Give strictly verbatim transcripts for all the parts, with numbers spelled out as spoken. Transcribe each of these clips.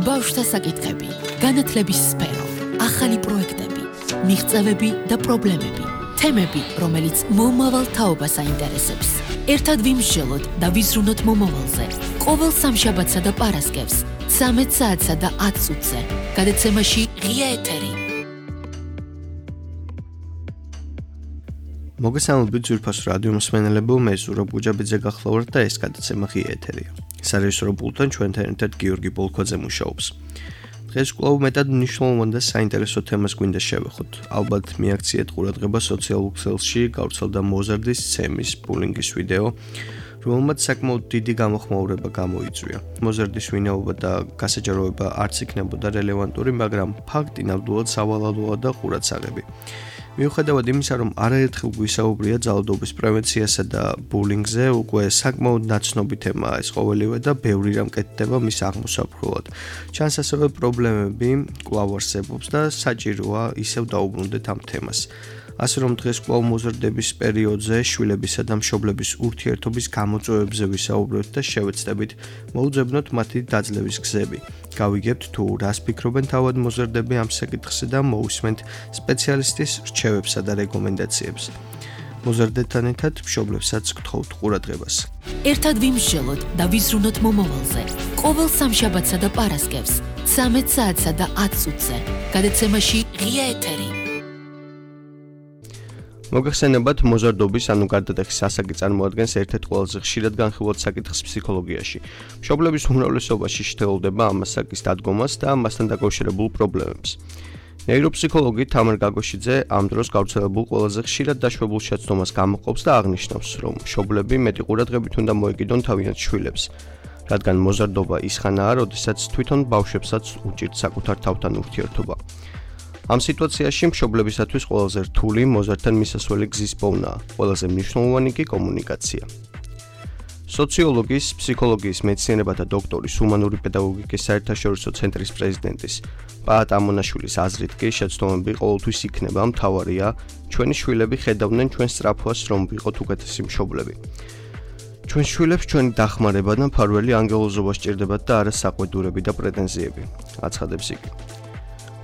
ბავშვთა საკითხები, განათლების სფერო, ახალი პროექტები, მიღწევები და პრობლემები, თემები, რომელიც მომავალ თაობას აინტერესებს. ერთად ვიმსჯელოთ და ვიზრუნოთ მომავალზე. ყოველ სამშაბათსა და პარასკევს, ცამეტ საათსა და ათ წუთზე, გადაცემაში ღია ეთერი. მოგესალმებით ძვირფას რადიო მსმენელებო, მე ზურაბ გუჯაბიძე გახლავართ და ეს გადაცემა ღია ეთერია. სარეჟისორო პულტთან ჩვენთან ერთად გიორგი ბოლქვაძე მუშაობს. დღეს კვლავ მეტად მნიშვნელოვან და საინტერესო თემას გვინდა შევეხოთ. ალბათ მიაქციეთ ყურადღება სოციალურ ქსელში გავრცელდა მოზარდის სცემის ბულინგის ვიდეო, რომელმაც საკმაოდ დიდი გამოხმაურება გამოიწვია. მოზარდის ვინაობა და გასაჯაროება არც იქნებოდა რელევანტური, მაგრამ ფაქტი ნამდვილად სავალალოა და ყურადსაღები. მიუხედავად იმისა, რომ არაერთხელ გვისაუბრია ძალადობის პრევენციასა და ბულინგზე, უკვე საკმაოდ ნაცნობი თემაა ეს ყოველივე და ბევრი რამ კეთდება მის აღმოსაფხვრად. ჩანს ასევე პრობლემები კვლავ არსებობს და საჭიროა ისევ დაუბრუნდეთ ამ თემას. ასე რომ დღეს კვლავ მოზარდების პერიოდზე შვილებისა და მშობლების ურთიერთობის გამოწვევებზე ვისაუბროთ და შევეცდებით მოუძებნოთ მათი დაძლევის გზები. გავიგებთ თუ რას ფიქრობენ თავად მოზარდები ამ საკითხზე და მოусმენთ სპეციალისტის რჩევებსა და რეკომენდაციებს. მოზარდებთან ერთად მშობლებსაც გთხოვთ ყურადღებას. ერთად ვიმსჯელოთ და ვიზრუნოთ მომავალზე. ყოველ სამშაბათსა და პარასკევს, ცამეტ საათსა და ათ წუთზე, გადაცემაში ღია ეთერი. მოგეხსენებათ, მოზარდობის ანუ გარდატეხის ასაკი წარმოადგენს ერთ-ერთ ყველაზე ხშირად განხილულ საკითხს ფსიქოლოგიაში. მშობლების უმრავლესობაში შეთავაზება ამ ასაკის დადგომას და ამასთან დაკავშირებულ პრობლემებს. ნეიროფსიქოლოგი თამარ გაგოშიძე ამ დროს გავრცელებულ ყველაზე ხშირად დაშვებულ შეცდომას გამოყოფს და აღნიშნავს, რომ მშობლები მეტი ყურადღებით უნდა მოეკიდონ თავიანთ შვილებს, რადგან მოზარდობა ის ხანაა, როდესაც თვითონ ბავშვებსაც უჭირთ საკუთარ თავთან ურთიერთობა. ამ სიტუაციაში მშობლებისათვის ყველაზე რთული მოზარდთან მისასვლელი გზის პოვნაა, ყველაზე მნიშვნელოვანი კი კომუნიკაცია. სოციოლოგის, ფსიქოლოგიის მეცნიერებათა დოქტორის, ჰუმანური პედაგოგიკის საერთაშორისო ცენტრის პრეზიდენტის პაატ ამონაშვილის აზრით კი შეცდომები ყოველთვის იქნება მთავარია, ჩვენი შვილები ხედავდნენ ჩვენ სწრაფვას, რომ ვიყოთ უკეთესი მშობლები. ჩვენ შვილებს ჩვენი დახმარება და მფარველი ანგელოზობა სჭირდებათ და არა საყვედურები და პრეტენზიები, აცხადებს იგი.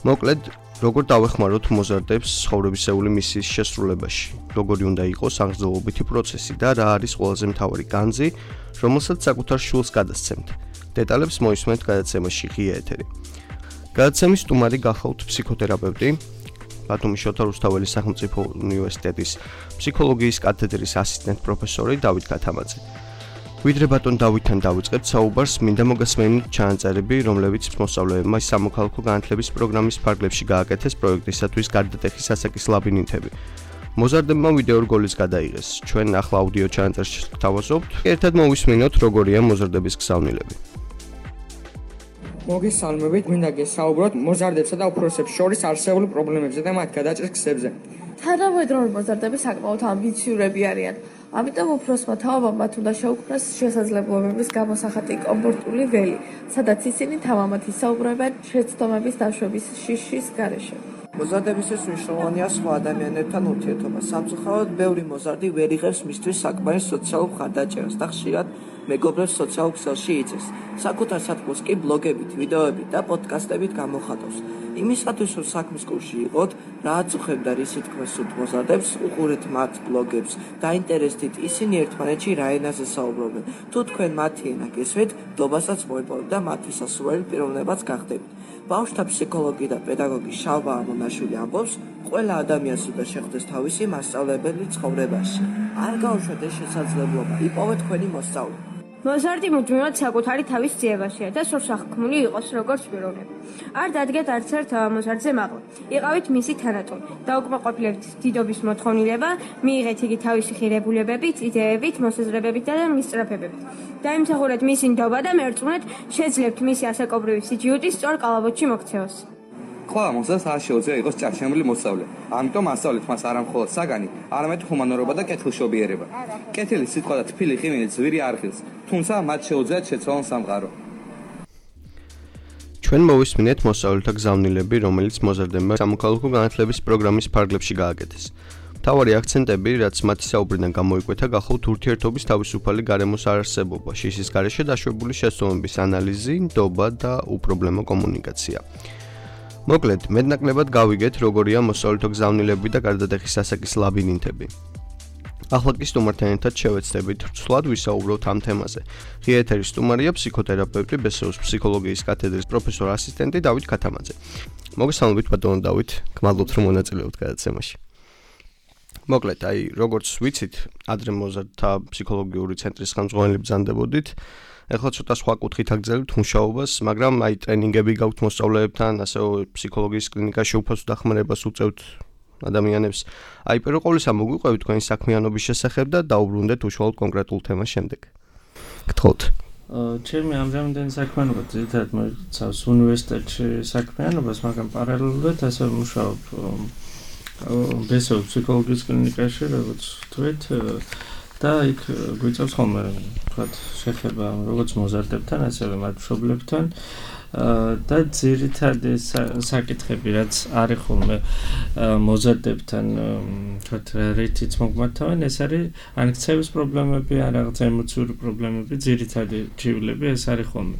მოკლედ, როგორ დავეხმაროთ მოზარდებს ცხოვრებისეული მისიის შესრულებაში, როგორი უნდა იყოს აღრძელობითი პროცესი და რა არის ყველაზე მთავარი განძი, რომელსაც საკუთარ შვილს გადასცემთ. დეტალებს მოისმენთ გადაცემაში ღია ეთერი. გადაცემის სტუმარი გახავთ ფსიქოთერაპევტი, ბათუმის შოთა რუსთაველის სახელმწიფო უნივერსიტეტის ფსიქოლოგიის კათედრის ასისტენტ პროფესორი დავით გათამაძე. ვიდრე ბატონ დავითთან დავიწყებთ საუბარს, მინდა მოგესმენთ ჩანაწერები, რომლებიც მოსწავლეებმა სამოქალაქო განათლების პროგრამის ფარგლებში გააკეთეს პროექტისათვის გარდატეხის ასაკის ლაბირინთები. მოზარდებმა ვიდეო რგოლის გადაიღეს. ჩვენ ახლა აუდიო ჩანაწერს გთავაზობთ. ერთად მოვისმინოთ, როგორია მოზარდების გზავნილები. მოგესალმებით, მინდა გესაუბროთ მოზარდებსა და უფროსებს შორის არსებული პრობლემებზე და მათ გადაჭრის გზებზე. თანამედროვე მოზარდები საკმაოდ ამბიციურები არიან. ამიტომ უფროსმა თაობამ მათ უნდა შეუქმნას შესაძლებლობების გამოსახატი კომფორტული ველი, სადაც ისინი თამამად ისაუბრებენ შეცდომების დაშვების შიშის გარეშე. მოზარდებისთვის მნიშვნელოვანია სხვა ადამიანებთან ურთიერთობა. სამწუხაროდ, ბევრი მოზარდი ვერ იღებს მისთვის საკმარის სოციალურ მხარდაჭერას და ხშირად მეგობრებს სოციალურ ქსელში იწევს. საკუთარ სათქმულს კი ბლოგებით, ვიდეოებით და პოდკასტებით გამოხატავს. იმისათვის, რომ საქმის კურსში იყოთ, რაც უხებდა რისი თქმას სურთ მოზარდებს, უყურეთ მათ ბლოგებს, დაინტერესდით ისინი ერთმანეთში რა ენაზე საუბრობენ. თუ თქვენ მათი ენა გესმით, დობასაც მოიპოვებთ და მათი სასურველი პიროვნებაც გახდებით. ბავშვთა ფსიქოლოგი და პედაგოგი შალვა ამონაშვილი ამბობს, ყველა ადამიანს უნდა შეხვდეს თავისი მასწავლებელი ცხოვრებაში. არ გაუშვათ ეს შესაძლებლობა, იპოვეთ თქვენი მოსწავლე. მოზარდი მუდმივად საკუთარი თავის ძიებაშია და სურს აღქმული იყოს როგორც პიროვნება. არ დადგეთ არც ერთ მოზარდზე მაღლა. იყავით მისი თანატოლი. დაუკმაყოფილებთ დიდობის მოთხოვნილება, მიიღეთ იგი თავისი ხირებულებებით, იდეებით, მოსაზრებებით და მისწრაფებებით. დაიმსახურეთ მისი ნდობა და მერწმუნეთ, შეძლებთ მისი ასაკობრივი სიჯიუტის სწორ კალაბოთში მოქცევას. ყველა მოზარდს არ შეუძლია იყოს ჭარჩემული მოსწავლე. ამიტომ ასწავლეთ მას არა მხოლოდ საგანი, არამედ ჰუმანურობა და კეთილშობიერება. კეთილი სიტყვა და თბილი ღიმილი ძვირი არ ხილს, თუმცა მათ შეუძლიათ შეცვალონ სამყარო. ჩვენ მოვისმინეთ მოსწავლეთა გზავნილები, რომელიც მოზარდებმა სამოქალაქო განათლების პროგრამის ფარგლებში გააკეთეს. მთავარი აქცენტები, რაც მათი საუბრიდან გამოიკვეთა, გახავთ ურთიერთობის თავისუფალი გარემოს არარსებობა, შიშის გარეშე დაშვებული შეცდომების ანალიზი, ნდობა და უპრობლემო კომუნიკაცია. მოკლედ, მეტნაკლებად გავიგეთ, როგორია მოსწავლეთა გზავნილები და გარდატეხის ასაკის ლაბირინთები. ახლა კი სტუმართან ერთად შევეცდებით ცვლად ვისაუბროთ ამ თემაზე. ღია ეთერის სტუმარია ფსიქოთერაპევტი, ბესეუს ფსიქოლოგიის კათედრის პროფესორ ასისტენტი დავით ქათამაძე. მოგესალმებით ბატონო დავით, გმადლობთ რომ მონაწილეობთ გადაცემაში. მოკლედ, აი, როგორც ვიცით, ადრე მოზარდთა ფსიქოლოგიური ცენტრის ხელმძღვანელი ბრძანდებოდით. ეხლა ცოტა სხვა კუთხით აგრძელებთ მუშაობას, მაგრამ აი ტრენინგები გაქვთ მოსწავლეებთან, ასევე ფსიქოლოგიის კლინიკაში უფასო დახმარებას უწევთ ადამიანებს. აი, პირველ ყოვლისა მოგვიყვებით თქვენი საქმიანობის შესახებ და დაუბრუნდეთ უშუალოდ კონკრეტულ თემას შემდეგ. გთხოვთ. ჩემი ამჟამინდელი საქმიანობა ძირითადად მოიცავს უნივერსიტეტში საქმიანობას, მაგრამ პარალელურად ასევე მუშაობ ბესეუს ფსიქოლოგიის კლინიკაში, როგორც თქვით, და იქ გვიწევს ხოლმე, თქვათ, შეხება როგორც მოზარდებთან, ასევე მათ მშობლებთან და ძირითადი საკითხები, რაც არის ხოლმე მოზარდებთან, თქვათ, რითიც მოგმართავენ, ეს არის ან ქცევის პრობლემები, ან რაღაც ემოციური პრობლემები, ძირითადი ჯივლები, ეს არის ხოლმე.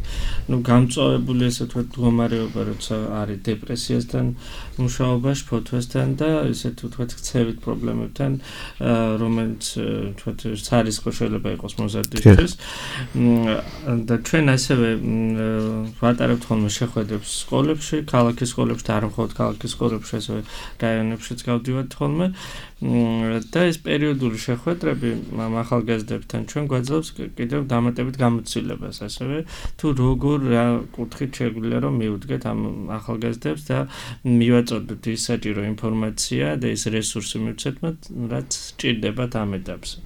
ნუ გამწვავებული ესე თქვათ მდგომარეობა, როცა არის დეპრესიასთან მუშაობა, შფოთვასთან და ესე თქვათ ქცევით პრობლემებთან, რომელიც თქვათ სარისკო შეიძლება იყოს მოზარდისთვის. და ჩვენ ასევე ვატარებთ ხოლმე შეხვედრებს სკოლებში, ქალაქის სკოლებში და არ მხოლოდ ქალაქის სკოლებში, ასევე რაიონებშიც გავდივართ ხოლმე. და ეს პერიოდული შეხვედრები ახალგაზრდებთან ჩვენ გვაძლევს კიდევ დამატებით გამოცდილებას, ასევე თუ როგორ რა კუთხით შეგვიძლია რომ მივუდგეთ ამ ახალგაზრდებს და მივაწოდოთ ის საჭირო ინფორმაცია და ის რესურსი მივცეთ მათ, რაც სჭირდებათ ამ ეტაპზე.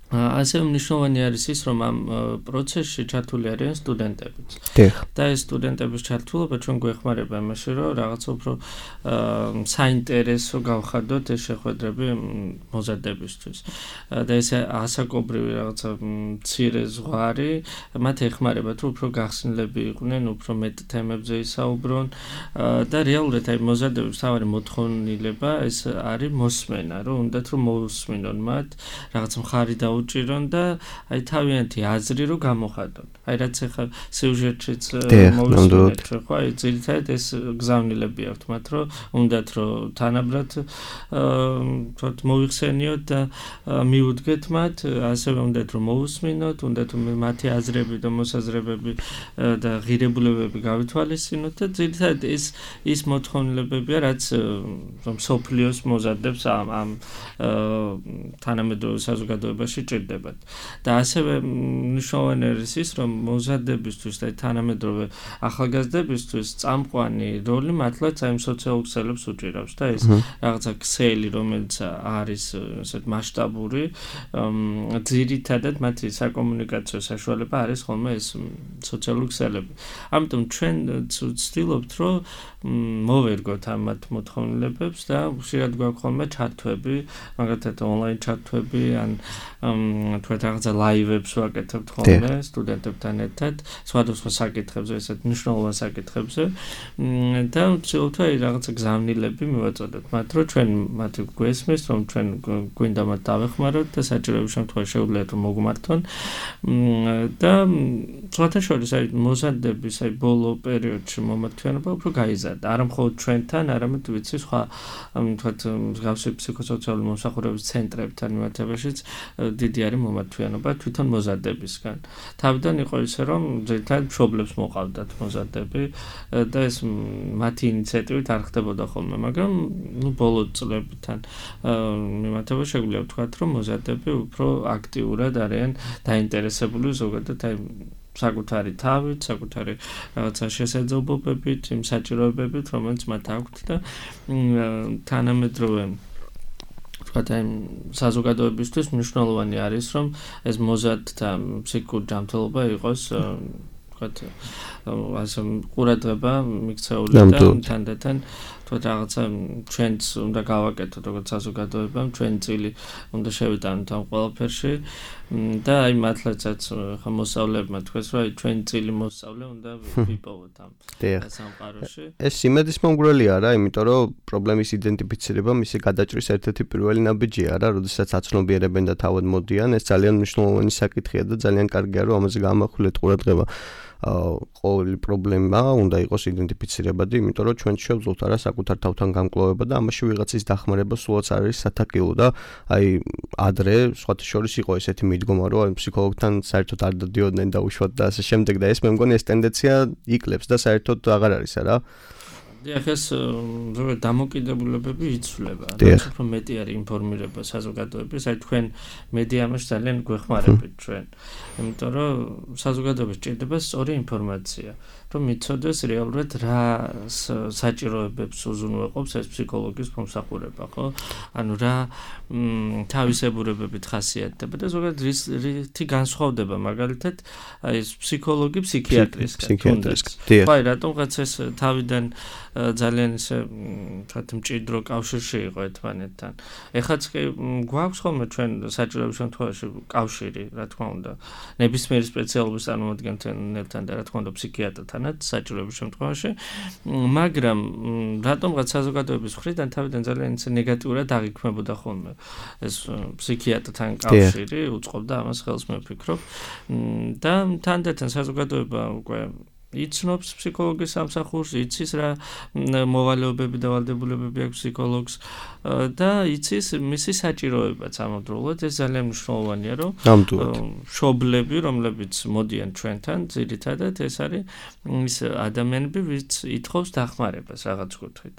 ასევე მნიშვნელოვანი არის ის, რომ ამ პროცესში ჩართული არიან სტუდენტებიც. და ეს სტუდენტების ჩართულობა ჩვენ გვეხმარება იმაში, რომ რაღაცა უფრო საინტერესო გავხადოთ ეს შეხვედრები მოზარდებისთვის. და ეს ასაკობრივი რაღაცა მცირე ზღვარი მათ ეხმარება, თუ უფრო გახსნილები იყვნენ, უფრო მეტ თემებზე ისაუბრონ და რეალურად აი მოზარდების მთავარი მოთხოვნილება ეს არის მოსმენა, რომ უნდათ რომ მოусმინონ მათ, რაღაც მხარი და უჭირონ და აი თავიანთი აზრი რო გამოხატონ. აი რაც ახლა სიუჟეტშიც მოვისმინეთ, ხო, აი ძირითადად ეს გზავნილები აქვთ მათ, რომ უნდათ რომ თანაბრად თქოთ მოიხსენიოთ და მიუდგეთ მათ, ასევე უნდათ რომ მოусმინოთ, უნდათ რომ მათი აზრები და მოსაზრებები და ღირებულებები გავითვალისწინოთ და ძირითადად ეს ის მოთხოვნილებებია, რაც რომ სოფლიოს მოზარდებს ამ ამ თანამედროვე საზოგადოებაში ჭირდებათ. და ასევე მნიშვნელოვანი არის ის, რომ მოზარდებისთვის და თანამედროვე ახალგაზრდებისთვის წამყვანი როლი მართლაც აი სოციალურ ქსელებს უჭირავს და ეს რაღაცა ქსელი, რომელიც არის ესეთ მასშტაბური, ძირითადად მათი საკომუნიკაციო საშუალება არის ხოლმე ეს სოციალური ქსელები. ამიტომ ჩვენ ვცდილობთ, რომ მოვერგოთ ამ მათ მოთხოვნილებებს და ხშირად გვაქვს ხოლმე ჩართვები, მაგალითად ონლაინ ჩართვები ან თქვათ რაღაცა ლაივებს ვაკეთებთ ხოლმე სტუდენტებთან ერთად, სხვადასხვა საკითხებზე, ესეთ მნიშვნელოვან საკითხებზე და ვცდილობთ აი რაღაცა გზავნილები მივაწოდოთ მათ, რომ ჩვენ მათ გვესმის, რომ ჩვენ გვინდა მათ დავეხმაროთ და საჭიროების შემთხვევაში შეუძლიათ რომ მოგვმართონ და სხვათა შორის აი მოზარდების აი ბოლო პერიოდში მომართვიანობა უფრო გაიზარდა. არა მხოლოდ ჩვენთან, არამედ ვიცი სხვა თქვათ მსგავსი ფსიქოსოციალური მომსახურების ცენტრებთან მიმართებაშიც დიდი არის მომართვიანობა თვითონ მოზარდებისგან. თავიდან იყო ისე, რომ ძირითადად მშობლებს მოყავდათ მოზარდები და ეს მათი ინიციატივით არ ხდებოდა ხოლმე, მაგრამ ნუ ბოლო წლებთან მიმართებაში შეგვიძლია ვთქვათ, რომ მოზარდები უფრო აქტიურად არიან დაინტერესებული ზოგადად აი საკუთარი თავით, საკუთარი რაღაცა შესაძლებლობებით, იმ საჭიროებებით, რომელიც მათ აქვთ და თანამედროვე თქვათ აი საზოგადოებისთვის მნიშვნელოვანი არის, რომ ეს მოზარდთა ფსიქიკური ჯანმრთელობა იყოს ვთქვათ, ასე ყურადღება მიქცეული და თანდათან თქვათ რაღაცა ჩვენც უნდა გავაკეთოთ როგორც საზოგადოებამ, ჩვენი წილი უნდა შევიტანოთ ამ ყველაფერში და აი მართლაცაც ხა მოსწავლეებმა თქვეს, რომ აი ჩვენი წილი მოსწავლე უნდა ვიპოვოთ ამ სამყაროში. ეს იმედის მომგვრელი არა, იმიტომ რომ პრობლემის იდენტიფიცირება მისი გადაჭრის ერთ-ერთი პირველი ნაბიჯია რა, როდესაც აცნობიერებენ და თავად მოდიან, ეს ძალიან მნიშვნელოვანი საკითხია და ძალიან კარგია რომ ამაზე გამახვილეთ ყურადღება. ყოველი პრობლემა უნდა იყოს იდენტიფიცირებადი, იმიტომ რომ ჩვენ შევძლოთ არა საკუთარ თავთან გამკლოვება და ამაში ვიღაცის დახმარება სულაც არ არის სათაკილო და აი ადრე სხვათა შორის იყო ესეთი მიდგომა, რომ აი ფსიქოლოგთან საერთოდ არ დადიოდნენ და უშუალოდ და ასე შემდეგ და ეს მე მგონი ეს ტენდენცია იკლებს და საერთოდ აღარ არის არა. დიახ, ეს დამოკიდებულებები იცვლება. რაც უფრო მეტი არის ინფორმირება საზოგადოების, აი თქვენ მედიამაში ძალიან გვეხმარებით ჩვენ. იმიტომ რომ საზოგადოებას ჭირდება სწორი ინფორმაცია, რომ მიცოდეს რეალურად რა საჭიროებებს უზრუნველყოფს ეს ფსიქოლოგის მომსახურება, ხო? ანუ რა თავისებურებებით ხასიათდება და ზოგადად რითი განსხვავდება მაგალითად აი ეს ფსიქოლოგი ფსიქიატრისგან. ფსიქიატრისგან. აი რატომღაც ეს თავიდან ძალიან ისე თქვათ მჭიდრო კავშირში იყო ერთმანეთთან. ეხაც კი გვაქვს ხოლმე ჩვენ საჭიროების შემთხვევაში კავშირი, რა თქმა უნდა, ნებისმიერი სპეციალობის წარმომადგენელთან და რა თქმა უნდა ფსიქიატრთანაც საჭიროების შემთხვევაში, მაგრამ რატომღაც საზოგადოების მხრიდან თავიდან ძალიან ისე ნეგატიურად აღიქმებოდა ხოლმე ეს ფსიქიატრთან კავშირი, უწყობდა ამას ხელს მე ვფიქრობ და თანდათან საზოგადოება უკვე იცნობს ფსიქოლოგის სამსახურს, იცის რა მოვალეობები და ვალდებულებები აქვს ფსიქოლოგს და იცის მისი საჭიროებაც ამავდროულად. ეს ძალიან მნიშვნელოვანია, რომ მშობლები, რომლებიც მოდიან ჩვენთან, ძირითადად ეს არის ის ადამიანები, ვინც ითხოვს დახმარებას რაღაც კუთხით.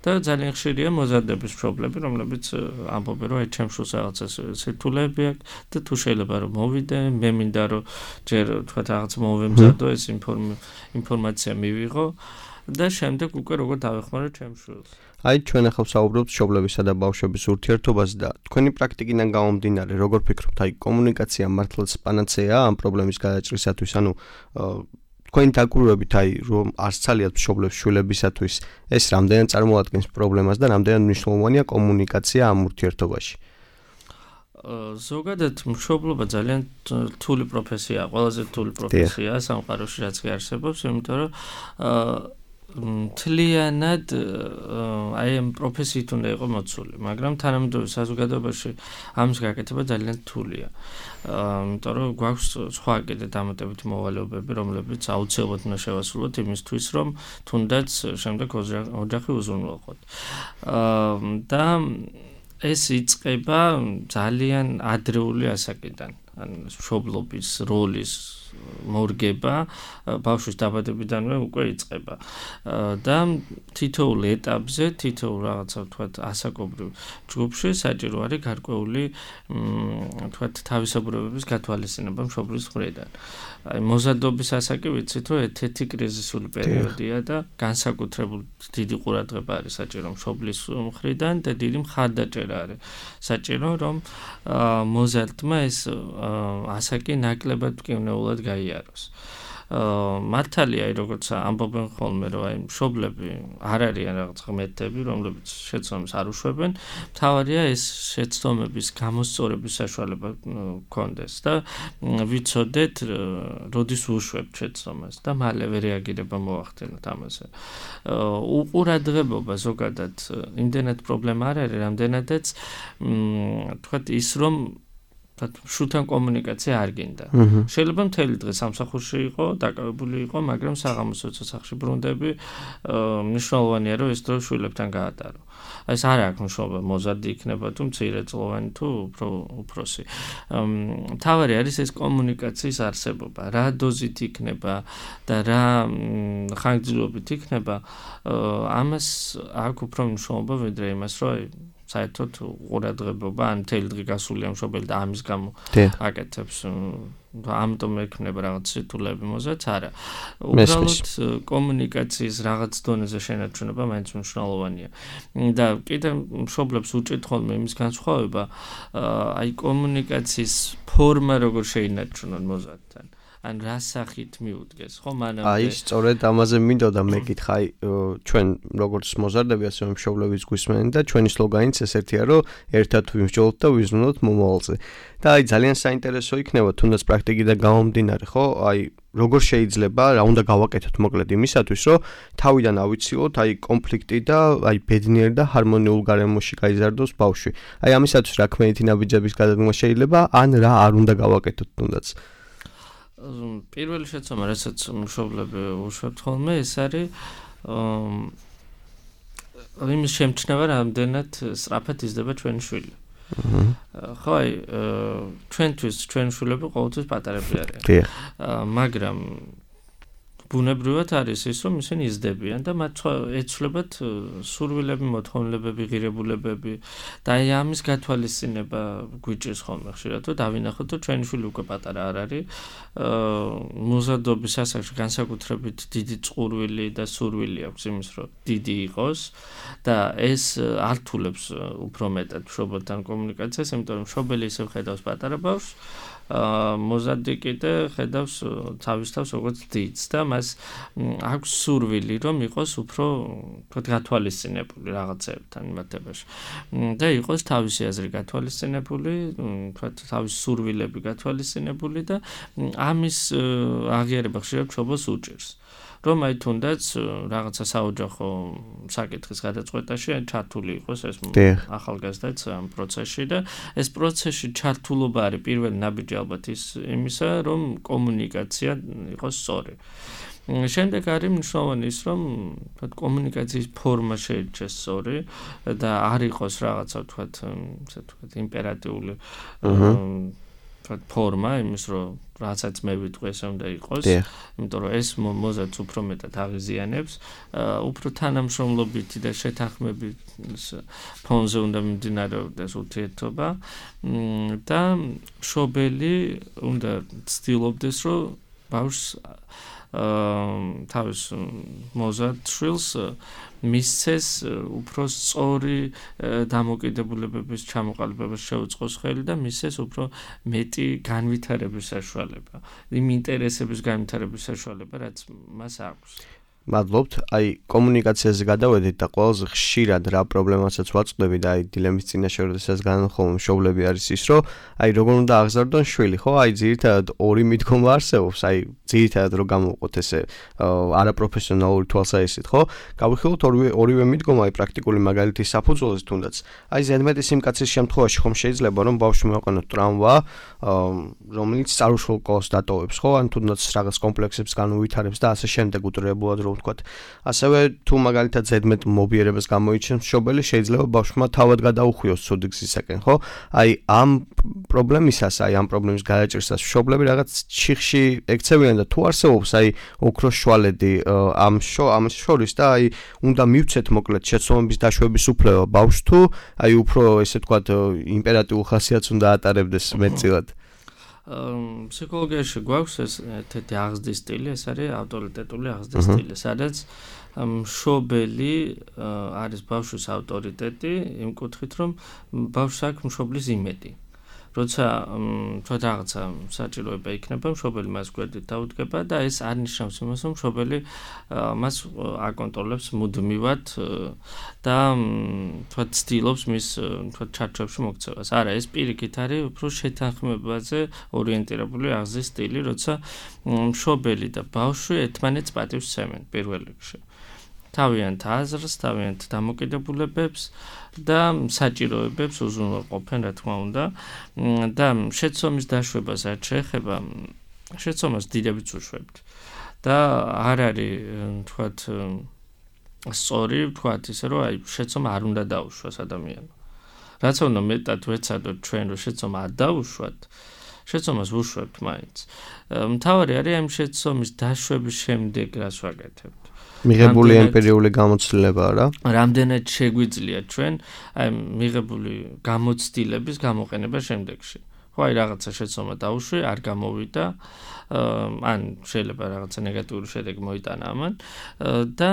და ძალიან ხშირია მოზარდების მშობლები, რომლებიც ამბობენ, რომ აი ჩემ შულს რაღაცა სირთულეები აქვს და თუ შეიძლება რომ მოვიდე, მე მინდა რომ ჯერ თქვა რაღაც მოვემზადო ეს ინფორმაცია მივიღო და შემდეგ უკვე როგორ დავეხმარო ჩემ შულს. აი ჩვენ ახლა ვსაუბრობთ მშობლებისა და ბავშვების ურთიერთობაზე და თქვენი პრაქტიკიდან გამომდინარე, როგორ ფიქრობთ, აი კომუნიკაცია მართლაც პანაცეაა ამ პრობლემის გადაჭრისათვის, ანუ თქვენი დაკვირვებით აი რომ არც ცალიათ მშობლებს შვილებისათვის ეს რამდენად წარმოადგენს პრობლემას და რამდენად მნიშვნელოვანია კომუნიკაცია ამ ურთიერთობაში. ზოგადად მშობლობა ძალიან რთული პროფესიაა, ყველაზე რთული პროფესიაა სამყაროში რაც კი არსებობს, იმიტომ რომ მთლიანად აი ამ პროფესიით უნდა იყო მოცული, მაგრამ თანამედროვე საზოგადოებაში ამის გაკეთება ძალიან რთულია. იმიტომ რომ გვაქვს სხვა კიდე დამატებითი მოვალეობები, რომლებიც აუცილებლად უნდა შევასრულოთ იმისთვის, რომ თუნდაც შემდეგ ოჯახი უზრუნველყოთ. და ეს იწყება ძალიან ადრეული ასაკიდან, ან მშობლობის როლის მორგება ბავშვის დაბადებიდანვე უკვე იწყება. და თითოეულ ეტაპზე, თითოეულ რაღაცა ვთქვათ ასაკობრივ ჯგუფში საჭირო არის გარკვეული ვთქვათ თავისებურებების გათვალისწინება მშობლის მხრიდან. აი მოზარდობის ასაკი ვიცით, რომ ერთ-ერთი კრიზისული პერიოდია და განსაკუთრებული დიდი ყურადღება არის საჭირო მშობლის მხრიდან და დიდი მხარდაჭერა არის საჭირო, რომ მოზარდმა ეს ასაკი ნაკლებად მკვნეულად გაიაროს. მართალია, როგორც ამბობენ ხოლმე, რომ აი მშობლები არ არიან რაღაც ღმერთები, რომლებიც შეცდომებს არ უშვებენ, მთავარია ეს შეცდომების გამოსწორების საშუალება გქონდეს და ვიცოდეთ, როდის უშვებთ შეცდომას და მალევე რეაგირება მოახდინოთ ამაზე. უყურადღებობა ზოგადად იმდენად პრობლემა არ არის, რამდენადაც თქვათ ის რომ შულთან კომუნიკაცია არ გინდა. შეიძლება მთელი დღე სამსახურში იყო, დაკავებული იყო, მაგრამ საღამოს ცოცხლში ბრუნდები, მნიშვნელოვანია რომ ეს დრო შვილებთან გაატარო. ეს არ აქვს მნიშვნელობა მოზარდი იქნება თუ მცირეწლოვანი თუ უფრო უფროსი. მთავარი არის ეს კომუნიკაციის არსებობა, რა დოზით იქნება და რა ხანგრძლივობით იქნება, ამას აქვს უფრო მნიშვნელობა ვიდრე იმას, რომ საერთოდ ყურადღება ან მთელი დღე გასულია მშობელი და ამის გამო აკეთებს ამიტომ ექნება რაღაც სირთულეები მოზარდ, არა. უბრალოდ კომუნიკაციის რაღაც დონეზე შენარჩუნება მაინც მნიშვნელოვანია. და კიდე მშობლებს უჭირთ ხოლმე იმის განსხვავება, აი კომუნიკაციის ფორმა როგორ შეინარჩუნონ მოზარდთან. ან რა სახით მიუდგეს, ხო, მანამდე. აი, სწორედ ამაზე მინდოდა მეკითხა, აი, ჩვენ როგორც მოზარდები, ასევე მშობლების გვისმენთ და ჩვენი სლოგანიც ესეთია, რომ ერთად ვიმსჯელოთ და ვიზრუნოთ მომავალზე. და აი, ძალიან საინტერესო იქნება, თუნდაც პრაქტიკიდან გამომდინარე, ხო? აი, როგორ შეიძლება, რა უნდა გავაკეთოთ მოკლედ იმისათვის, რომ თავიდან ავიცილოთ, აი, კონფლიქტი და აი, ბედნიერ და ჰარმონიულ გარემოში გაიზარდოს ბავშვი. აი, ამისათვის რა ქმედითი ნაბიჯების გადადგმა შეიძლება, ან რა არ უნდა გავაკეთოთ თუნდაც. პირველი შეცდომა, რასაც მშობლები უშვებთ ხოლმე, ეს არის იმის შემჩნევა, რამდენად სწრაფად იზრდება ჩვენი შვილი. ხო, აი, ჩვენთვის ჩვენი შვილები ყოველთვის პატარები არიან. მაგრამ ბუნებრივად არის ის, რომ ისინი იზრდებიან და მათ ეცვლებათ სურვილები, მოთხოვნილებები, ღირებულებები და აი ამის გათვალისწინება გვიჭირს ხოლმე ხშირად, რომ დავინახოთ, რომ ჩვენი შვილი უკვე პატარა არ არის, მოზარდობის ასაკში განსაკუთრებით დიდი წყურვილი და სურვილი აქვს იმის, რომ დიდი იყოს და ეს ართულებს უფრო მეტად მშობელთან კომუნიკაციას, იმიტომ რომ მშობელი ისევ ხედავს პატარა ბავშვს, მოზარდი კიდე ხედავს თავის თავს როგორც დიდს და მას აქვს სურვილი, რომ იყოს უფრო გათვალისწინებული რაღაცებთან იმართებაში და იყოს თავისი აზრი გათვალისწინებული, თავისი სურვილები გათვალისწინებული და ამის აღიარება ხშირად მშობელს უჭირს. რომ აი თუნდაც რაღაცა საოჯახო საკითხის გადაწყვეტაში ჩართული იყოს ეს ახალგაზრდაც ამ პროცესში და ეს პროცესში ჩართულობა არის პირველი ნაბიჯი ალბათ ის იმისა, რომ კომუნიკაცია იყოს სწორი. შემდეგ არის მნიშვნელოვანი ის, რომ კომუნიკაციის ფორმა შეირჩეს სწორი და არ იყოს რაღაცა ვთქვათ, ესე ვთქვათ, იმპერატიული ფორმა იმის, რომ რასაც მე ვიტყვი, ესე უნდა იყოს, იმიტომ რომ ეს მოზარდს უფრო მეტად აღიზიანებს, უფრო თანამშრომლობითი და შეთანხმებით ფონზე უნდა მიმდინარეობდეს ურთიერთობა და მშობელი უნდა ცდილობდეს, რომ ბავშვს თავის მოზარდ შვილს მისცეს უფრო სწორი დამოკიდებულებების ჩამოყალიბებას შეუწყოს ხელი და მისცეს უფრო მეტი განვითარების საშუალება, იმ ინტერესების განვითარების საშუალება, რაც მას აქვს. მადლობთ. აი, კომუნიკაციაზე გადავედით და ყველაზე ხშირად რა პრობლემასაც ვაწყდები და აი დილემის წინაშე როდესაც განხომ მშობლები არის ის, რომ აი როგორ უნდა აღზარდონ შვილი, ხო? აი ძირითადად ორი მიდგომა არსებობს, აი ძირითადად რო გამოვყოთ ესე არაპროფესიონალური თვალსაზრისით, ხო? გავიხილოთ ორივე ორივე მიდგომა, აი პრაქტიკული მაგალითის საფუძველზე თუნდაც. აი ზედმეტი სიმკაცის შემთხვევაში ხომ შეიძლება რომ ბავშვი მოეყენოთ ტრამვა, რომელიც წარუშულ კოლს დატოვებს, ხო? ან თუნდაც რაღაც კომპლექსებს განუვითარებს და ასე შემდეგ უტრებულად რომ ვთქვათ. ასევე თუ მაგალითად ზედმეტ მობიერებას გამოიჩენს მშობელი, შეიძლება ბავშვმა თავად გადაუხვიოს ცუდი გზისაკენ, ხო? აი ამ პრობლემისას, აი ამ პრობლემის გადაჭრისას მშობლები რაღაც ჩიხში ექცევიან და თუ არსებობს აი ოქროს შვალედი ამ ამ შორის და აი უნდა მივცეთ მოკლედ შეცდომების დაშვების უფლება ბავშვს თუ აი უფრო ესე ვთქვათ იმპერატიულ ხასიათს უნდა ატარებდეს მეტწილად. ფსიქოლოგიაში გვაქვს ეს თეთრი აღზრდის სტილი, ეს არის ავტორიტეტული აღზრდის სტილი, სადაც მშობელი არის ბავშვის ავტორიტეტი იმ კუთხით, რომ ბავშვს აქვს მშობლის იმედი. როცა თქვა რაღაცა საჭიროება იქნება, მშობელი მას გვერდით დაუდგება და ეს არ ნიშნავს იმას, რომ მშობელი მას აკონტროლებს მუდმივად და თქვა ცდილობს მის თქვა ჩარჩოებში მოქცევას. არა, ეს პირიქით არის უფრო შეთანხმებაზე ორიენტირებული აღზრდის სტილი, როცა მშობელი და ბავშვი ერთმანეთს პატივს სცემენ პირველ რიგში. თავიანთ აზრს, თავიანთ დამოკიდებულებებს და საჭიროებებს უზრუნველყოფენ, რა თქმა უნდა. და შეცდომის დაშვებას რაც შეეხება, შეცდომას დიდებიც უშვებთ. და არ არის, თქვათ, სწორი, თქვათ ისე, რომ აი შეცდომა არ უნდა დაუშვას ადამიანმა. რაც უნდა მეტად ვეცადოთ ჩვენ, რომ შეცდომა არ დაუშვათ, შეცდომას ვუშვებთ მაინც. მთავარი არის ამ შეცდომის დაშვების შემდეგ რას ვაკეთებთ. მიღებული ემპირიული გამოცდილება რა? რამდენად შეგვიძლია ჩვენ აი მიღებული გამოცდილების გამოყენება შემდეგში. ხო, აი რაღაცა შეცდომა დაუშვი, არ გამოვიდა, ან შეიძლება რაღაცა ნეგატიური შედეგი მოიტანა ამან და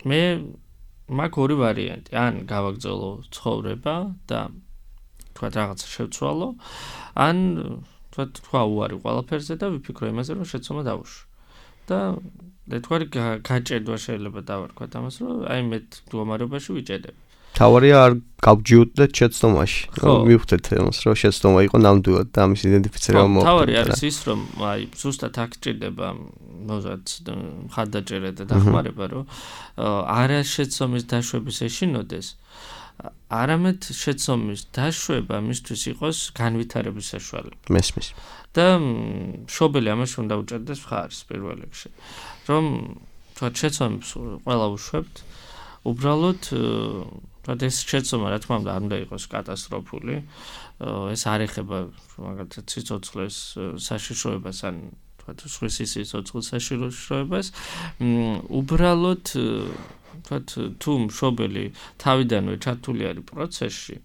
მე მაქვს ორი ვარიანტი, ან გავაგრძელო ცხოვრება და თქვა რაღაცა შევცვალო, ან თქვა თქვა უარი ყველაფერზე და ვიფიქრო იმაზე რომ შეცდომა დავუშვი. და ერთგვარი გაჭედვა შეიძლება დავარქვათ ამას რომ აი მე მდგომარეობაში ვიჭედებ. თავარია არ გავჯიუტდეთ შეცდომაში. მივხვდეთ ამას რომ შეცდომა იყო ნამდვილად და ამის იდენტიფიცირება მოხდა. თავარი არის ის რომ აი ზუსტად აქ ჭირდება მოზარდ მხარდაჭერა და დახმარება რომ არა შეცდომის დაშვების ეშინოდეს არამედ შეცდომის დაშვება მისთვის იყოს განვითარების საშუალება. მესმის. და მშობელი ამაში უნდა უჭერდეს მხარს პირველ რიგში. რომ თქვა შეცდომებს ყველა უშვებთ, უბრალოდ თქვა ეს შეცდომა რა თქმა უნდა არ უნდა იყოს კატასტროფული. ეს არ ეხება მაგალითად სიცოცხლეს საშიშროებას ან თქვა სხვის სიცოცხლის საშიშროებას. უბრალოდ თქვა თუ მშობელი თავიდანვე ჩართული არის პროცესში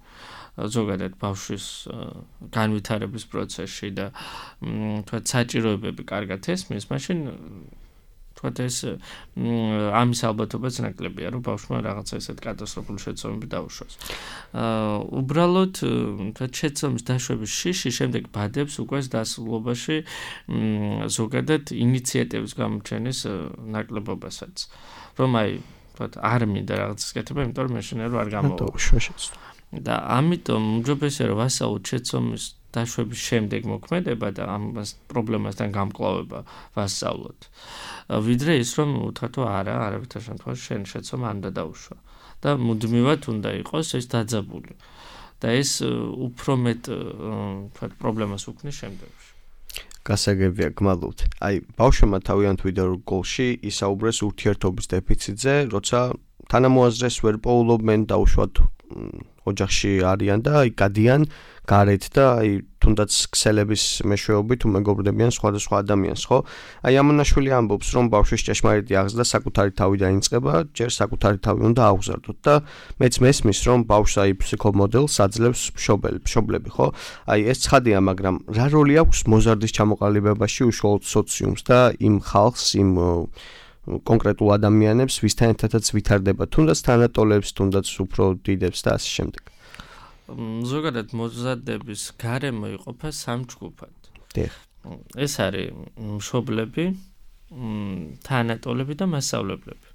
ზოგადად ბავშვის განვითარების პროცესში და თქვა საჭიროებები კარგად ესმის, მაშინ თქვა ეს ამის ალბათობაც ნაკლებია, რომ ბავშვმა რაღაცა ესეთ კატასტროფული შეცდომები დაუშვას. უბრალოდ თქვა შეცდომის დაშვების შიში შემდეგ ბადებს უკვე დასრულობაში ზოგადად ინიციატივის გამოჩენის ნაკლებობასაც. რომ აი თქვა არ მინდა რაღაცას კეთება, იმიტომ რომ მეშინე რომ არ გამოვაშვას. და ამიტომ უმჯობესია რომ ვასწავლოთ შეცდომის დაშვების შემდეგ მოქმედება და ამ პრობლემასთან გამკლავება ვასწავლოთ. ვიდრე ის რომ უთხრათ არა, არავითარ შემთხვევაში შენ შეცდომა არ უნდა დაუშვა და მუდმივად უნდა იყოს ეს დაძაბული. და ეს უფრო მეტ თქვა პრობლემას უქმნის შემდეგში. გასაგებია, გმადლობთ. აი, ბავშვებმა თავიანთ ვიდეო რგოლში ისაუბრეს ურთიერთობის დეფიციტზე, როცა თანამოაზრეს ვერ პოულობენ დაუშვათ ოჯახში არიან და აი გადიან გარეთ და აი თუნდაც ქსელების მეშვეობით უმეგობრდებიან სხვადასხვა ადამიანს, ხო? აი ამონაშვილი ამბობს, რომ ბავშვის ჭეშმარიტი აღზრდა საკუთარი თავიდან იწყება, ჯერ საკუთარი თავი უნდა აღზარდოთ და მეც მესმის, რომ ბავშვს აი ფსიქომოდელს აძლევს მშობელი, მშობლები, ხო? აი ეს ცხადია, მაგრამ რა როლი აქვს მოზარდის ჩამოყალიბებაში უშუალოდ სოციუმს და იმ ხალხს, იმ კონკრეტულ ადამიანებს, ვისთან ერთადაც ვითარდება, თუნდაც თანატოლებს, თუნდაც უფრო დიდებს და ასე შემდეგ. ზოგადად მოზარდების გარემო იყოფა სამ ჯგუფად. დიახ. ეს არის მშობლები, თანატოლები და მასწავლებლები.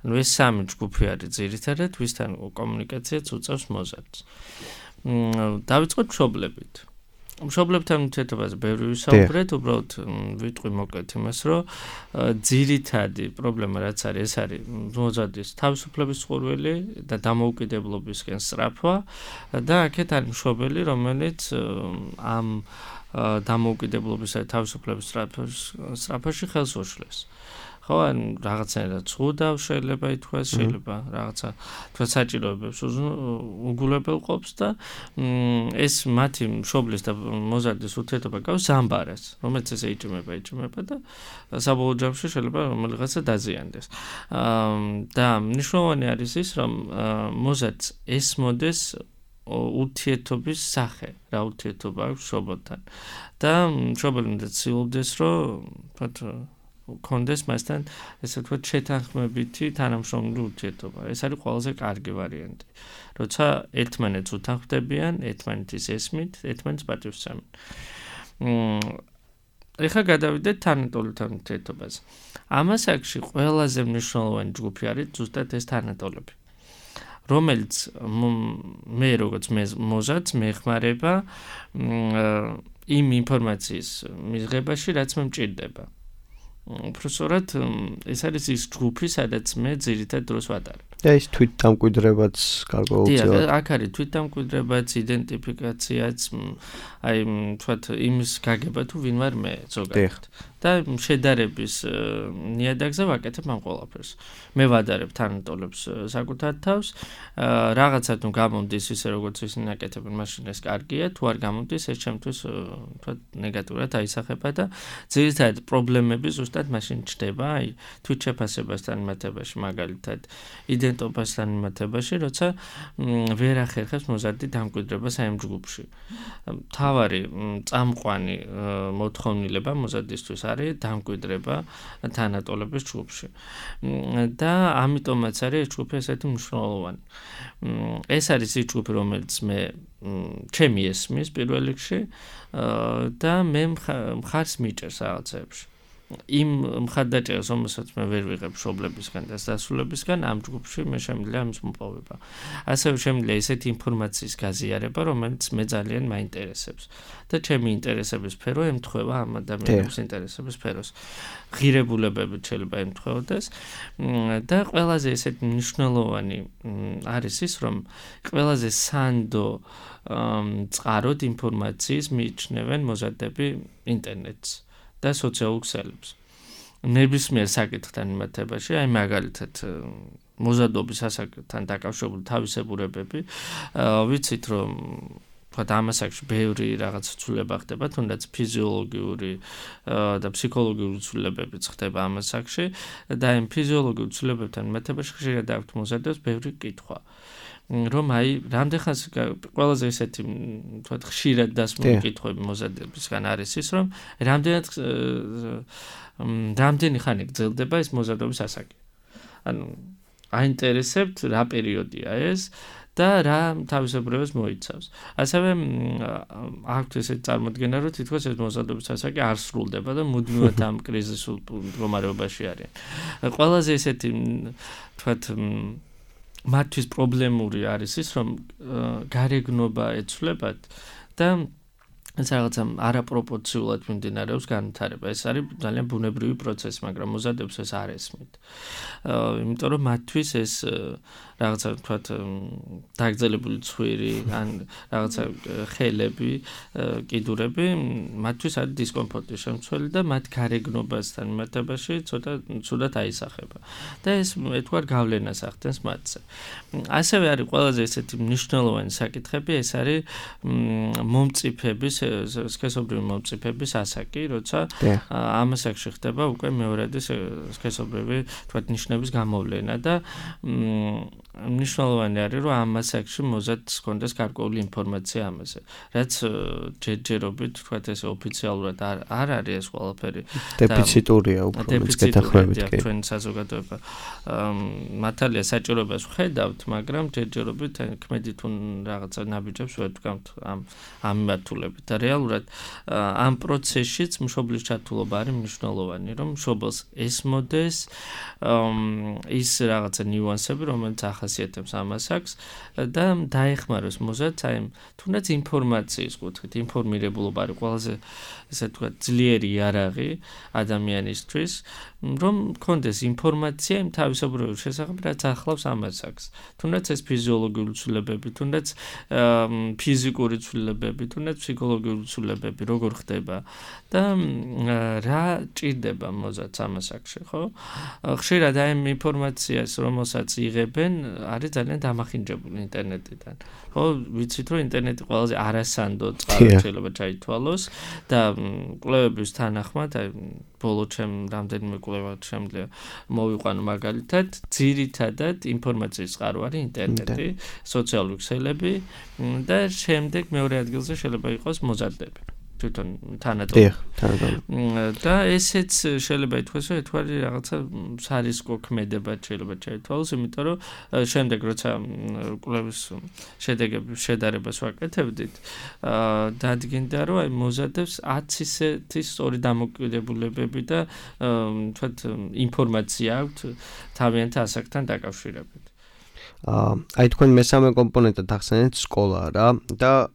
ანუ ეს სამი ჯგუფი არის ძირითადად, ვისთან კომუნიკაციაც უწევს მოზარდს. დავიწყოთ მშობლებით. მშობლებთან ურთიერთობაზე ბევრი ვისაუბრეთ, უბრალოდ ვიტყვი მოკლედ იმას, რომ ძირითადი პრობლემა რაც არის, ეს არის მოზარდის თავისუფლების წყურვილი და დამოუკიდებლობისკენ სწრაფვა და აქეთ არის მშობელი, რომელიც ამ დამოუკიდებლობისა და თავისუფლების სწრაფვაში ხელს უშლეს. ხო, ან რაღაცნაირად ცუდავ შეიძლება ითქვას, შეიძლება რაღაცა თქვა საჭიროებებს უგულებელყოფს და ეს მათი მშობლის და მოზარდის ურთიერთობა გავს ზამბარას, რომელიც ესე იჭმება, იჭმება და საბოლოო ჯამში შეიძლება რომელიღაცა დაზიანდეს. და მნიშვნელოვანი არის ის, რომ მოზარდს ესმოდეს ურთიერთობის სახე, რა ურთიერთობა აქვს მშობელთან. და მშობელი უნდა ცდილობდეს, რომ თქვა კონდეს მასთან ესე ვთქვათ შეთანხმებითი თანამშრომლული ურთიერთობა. ეს არის ყველაზე კარგი ვარიანტი. როცა ერთმანეთს უთანხმდებიან, ერთმანეთის ესმით, ერთმანეთს პატივსცემენ. ეხლა გადავიდეთ თანატოლებთან ურთიერთობაზე. ამ ასაკში ყველაზე მნიშვნელოვანი ჯგუფი არის ზუსტად ეს თანატოლები. რომელიც მე როგორც მოზარდს მეხმარება იმ ინფორმაციის მიღებაში, რაც მე მჭირდება. უბრალოდ ეს არის ის ჯგუფი, სადაც მე ძირითად დროს ვატარებ. და ის თვითდამკვიდრებაც გარკვეულწილად. დიახ, აქ არის თვითდამკვიდრებაც, იდენტიფიკაციაც, აი თქვათ იმის გაგება თუ ვინ ვარ მე ზოგადად. და შედარების ნიადაგზე ვაკეთებ ამ ყველაფერს. მე ვადარებ თანატოლებს საკუთარ თავს, რაღაცა თუ გამომდის ისე როგორც ისინი აკეთებენ, მაშინ ეს კარგია, თუ არ გამომდის, ეს ჩემთვის თქვათ ნეგატიურად აისახება და ძირითადად პრობლემები ზუსტად მაშინ ჩდება, აი თვითშეფასებასთან მიმართებაში მაგალითად, იდენტობასთან მიმართებაში, როცა ვერ ახერხებს მოზარდი დამკვიდრებას ამ ჯგუფში. თავარი წამყვანი მოთხოვნილება მოზარდისთვის არის დამკვიდრება თანატოლების ჯგუფში. და ამიტომაც არის ეს ჯგუფი ესეთი მნიშვნელოვანი. ეს არის ის ჯგუფი, რომელიც მე ჩემი ესმის პირველ რიგში და მე მხარს მიჭერს რაღაცებში. იმ მხარდაჭერას, რომელსაც მე ვერ ვიღებ მშობლებისგან და დასრულებისგან, ამ ჯგუფში მე შემიძლია ამის მოპოვება. ასევე შემიძლია ესეთი ინფორმაციის გაზიარება, რომელიც მე ძალიან მაინტერესებს და ჩემი ინტერესების სფერო ემთხვევა ამ ადამიანების ინტერესების სფეროს. ღირებულებებით შეიძლება ემთხვეოდეს და ყველაზე ესეთი მნიშვნელოვანი არის ის, რომ ყველაზე სანდო წყაროდ ინფორმაციის მიიჩნევენ მოზარდები ინტერნეტს და სოციალურ ქსელებს. ნებისმიერ საკითხთან მიმართებაში, აი მაგალითად მოზარდობის ასაკთან დაკავშირებული თავისებურებები, ვიცით რომ თქვათ ამასაკში ბევრი რაღაც ცვლილება ხდება, თუნდაც ფიზიოლოგიური და ფსიქოლოგიური ცვლილებებიც ხდება ამასაკში და იმ ფიზიოლოგიურ ცვლილებებთან მიმართებაში ხშირად აქვთ მოზარდებს ბევრი კითხვა. რომ აი რამდენხანს ყველაზე ესეთი თქვათ ხშირად დასმული კითხვები მოზარდებისგან არის ის, რომ რამდენად რამდენი ხანი გრძელდება ეს მოზარდობის ასაკი. ანუ აინტერესებთ რა პერიოდია ეს და რა თავისებურებას მოიცავს. ასევე აქვთ ესეთი წარმოდგენა, რომ თითქოს ეს მოზარდობის ასაკი არ სრულდება და მუდმივად ამ კრიზისულ მდგომარეობაში არიან. ყველაზე ესეთი თქვათ მათთვის პრობლემური არის ის, რომ გარეგნობა ეცვლებათ და ეს რაღაცა არაპროპორციულად მიმდინარეობს განვითარება. ეს არის ძალიან ბუნებრივი პროცესი, მაგრამ მოზარდებს ეს არ ესმით. იმიტომ რომ მათთვის ეს რაღაცა თქვათ დაგრძელებული ცხვირი ან რაღაცა ხელები, კიდურები მათთვის არის დისკომფორტის შემცველი და მათ გარეგნობასთან მიმართებაში ცოტა ცუდად აისახება. და ეს ეთქვათ გავლენას ახდენს მათზე. ასევე არის ყველაზე ესეთი მნიშვნელოვანი საკითხები, ეს არის მომწიფების სქესობრივი მომწიფების ასაკი, როცა ამ ასაკში ხდება უკვე მეორადი სქესობრივი თქვათ ნიშნების გამოვლენა და მნიშვნელოვანი არის, რომ ამ ასაკში მოზარდს ჰქონდეს გარკვეული ინფორმაცია ამაზე, რაც ჯერჯერობით თქვათ ეს ოფიციალურად არ არ არის ეს ყველაფერი. დეფიციტურია უფრო მეთქეთახრებით კი. ჩვენ საზოგადოება მართალია საჭიროებას ვხედავთ, მაგრამ ჯერჯერობით ქმედით თუ რაღაცა ნაბიჯებს ვერ ვდგამთ ამ ამ მიმართულებით. და რეალურად ამ პროცესშიც მშობლის ჩართულობა არის მნიშვნელოვანი, რომ მშობელს ესმოდეს ის რაღაცა ნიუანსები, რომელიც ახასიათებს ამ ასაკს და დაეხმაროს მოზარდს აი თუნდაც ინფორმაციის კუთხით, ინფორმირებულობა არის ყველაზე ესე თქვა ძლიერი იარაღი ადამიანისთვის, რომ მქონდეს ინფორმაცია იმ თავისებურების შესახებ, რაც ახლავს ამ ასაკს. თუნდაც ეს ფიზიოლოგიური ცვლილებები, თუნდაც ფიზიკური ცვლილებები, თუნდაც ფსიქოლოგიური ცვლილებები როგორ ხდება და რა ჭირდება მოზარდს ამ ასაკში, ხო? ხშირად აი ამ ინფორმაციას, რომელსაც იღებენ, არის ძალიან დამახინჯებული ინტერნეტიდან. ხო, ვიცით რომ ინტერნეტი ყველაზე არასანდო წყარო შეიძლება ჩაითვალოს და კვლევების თანახმად, აი ბოლო ჩემ რამდენიმე კვლევა შემიძლია მოვიყვანო მაგალითად, ძირითადად ინფორმაციის წყარო არის ინტერნეტი, სოციალური ქსელები და შემდეგ მეორე ადგილზე შეიძლება იყოს მოზარდები. თვითონ თანატოლი. და ესეც შეიძლება ითქვას, რომ ეთვარი რაღაცა სარისკო ქმედებად შეიძლება ჩაითვალოს, იმიტომ რომ შემდეგ როცა კვლევის შედეგების შედარებას ვაკეთებდით, დადგინდა, რომ აი მოზარდებს ათი ისეთი სწორი დამოკიდებულებები და თქვათ ინფორმაცია აქვთ თავიანთ ასაკთან დაკავშირებით. აი თქვენ მესამე კომპონენტად ახსენეთ სკოლა რა და